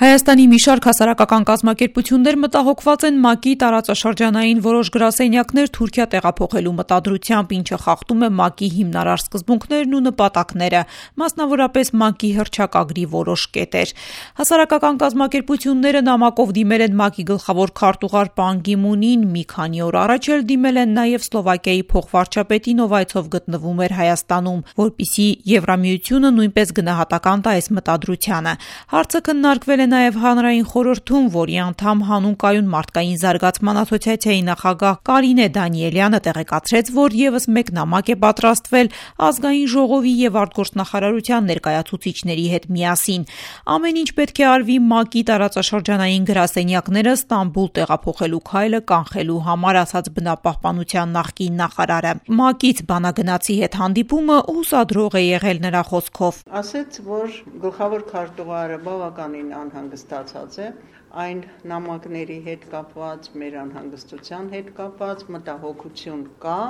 Հայաստանի մի շարք հասարակական կազմակերպություններ մտահոգված են ՄԱԿ-ի տարածաշրջանային որոշ գրասենյակներ Թուրքիա տեղափոխելու մտադրությամբ, ինչը խախտում է ՄԱԿ-ի հիմնարար սկզբունքներն ու նպատակները, մասնավորապես ՄԱԿ-ի հռչակագրի որոշ կետեր։ Հասարակական կազմակերպությունները նամակով դիմել են ՄԱԿ-ի գլխավոր քարտուղար պան Գի Մունին, մի քանի օր առաջ էլ դիմել են նաև Սլովակիայի փոխվարչապետին, ով այցով գտնվում էր Հայաստանում, որպեսզի Եվրամիությունը նույնպես գնահատական տա այս մտադրությանը։ Հարցը քննարկվել է նաև հանրային խորհրդում, որի անդամ հանուն կայուն մարդկային զարգացման ասոցիացիայի նախագահ Կարինե Դանիելյանը տեղեկացրեց, որ եւս մեկ նամակ է պատրաստվել ազգային ժողովի եւ արտգործնախարարության ներկայացուցիչների հետ միասին։ Ամեն ինչ պետք է արվի ՄԱԿ-ի տարածաշրջանային գրասենյակները Ստամբուլ տեղափոխելու քայլը կանխելու համար, ասաց բնապահպանության նախկին նախարարը։ ՄԱԿ-ից բանագնացի հետ հանդիպումը հուսադրող է եղել նրա խոսքով։ Ասեց, որ գլխավոր քարտուղարը բավականին անհանգստացած է այն նամակների հետ կապված, մեր անհանգստության հետ կապված, մտահոգություն կա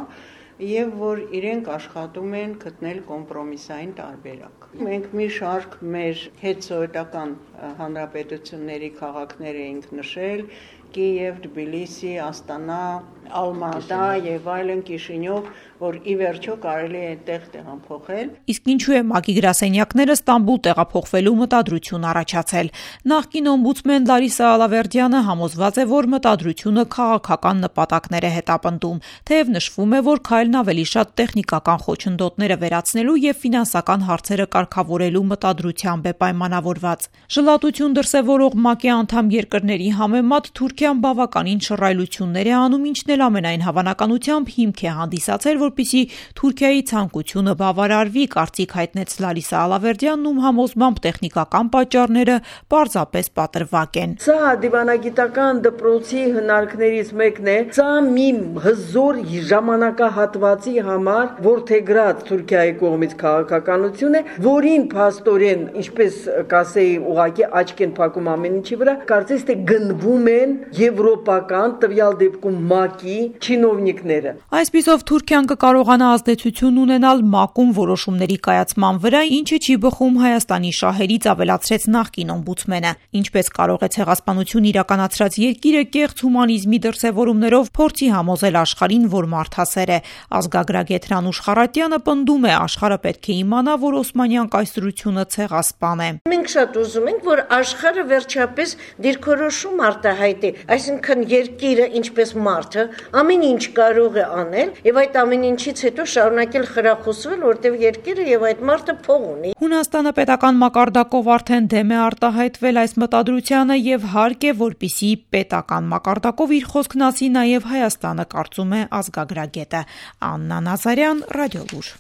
եւ որ իրենք աշխատում են գտնել կոմպրոմիսային տարբերակ։ Մենք մի շարք մեր հետսովետական հանրապետությունների քաղաքներ էինք նշել՝ Կիև, Թբիլիսի, Աստանա, Ալմատա եւ այլն, Կիշինյով, որ ի վերջո կարելի է այդտեղ տեղափոխել։ Իսկ ինչու է ՄԱԿ-ի գրասենյակները Ստամբուլ տեղափոխվելու մտադրություն առաջացել։ Նախկին օմբուդսմեն Լարիսա Ալավերդյանը համոզված է, որ մտադրությունը քաղաքական նպատակներ է հետապնդում, թեև նշվում է, որ քայլն ավելի շատ տեխնիկական խոչընդոտները վերացնելու եւ ֆինանսական հարցերը կարգավորելու մտադրությամբ է պայմանավորված։ Ժլատություն դրսևորող ՄԱԿ-ի անդամ երկրների համեմատ Թուրքիան բավականին շռայլություններ է անում, ինչն էլ ամենայն հավանականությամբ հիմք է հանդիսացել, որպեսզի Թուրքիայի ցանկությունը բավարարվի, կարծիք հայտնեց Լարիսա Ալավերդյանն, ում համոզմամբ տեխնիկական պատճառները պարզապես պատրվակ են։ Սա դիվանագիտական դպրոցի հնարքներից մեկն է, սա մի հզոր ժամանակահատվածի համար որդեգրած Թուրքիայի կողմից քաղաքականություն է, որին փաստորեն, ինչպես կասեի, ուղղակի աչք են փակում ամեն ինչի վրա, կարծես թե գնվում են եվրոպական, տվյալ դեպքում ՄԱԿ-ի չինովնիկները։ Այսպիսով Թուրքիան կկարողանա ազդեցություն ունենալ ՄԱԿ-ում որոշումների կայացման վրա, ինչը չի բխում Հայաստանի շահերից, ավելացրեց նախկին օմբուդսմենը։ Ինչպես կարող է ցեղասպանություն իրականացրած երկիրը կեղծ հումանիզմի դրսևորումներով փորձի համոզել աշխարհին, որ մարդասեր է։ Ազգագրագետ Հրանուշ Խառատյանը պնդում է, աշխարհը պետք է իմանա, որ օսմանյան կայսրությունը ցեղասպան է։ Մենք շատ ուզում ենք, որ աշխարհը վերջապես դիրքորոշում արտահայտի, այսինքն երկիրը ինչպես մարդը ամեն ինչ կարող է անել եւ այդ ամեն ինչից հետո շարունակել խրախուսվել, որտեղ երկիրը եւ այդ մարդը փող ունի։ Հունաստանը պետական մակարդակով արդեն դեմ է արտահայտվել այս մտադրությանը եւ հարկ է, որպեսզի պետական մակարդակով իր խոսքն ասի նաեւ Հայաստանը, կարծում է ազգագրագետը։ Աննա Նազարյան, Ռադիոլուր։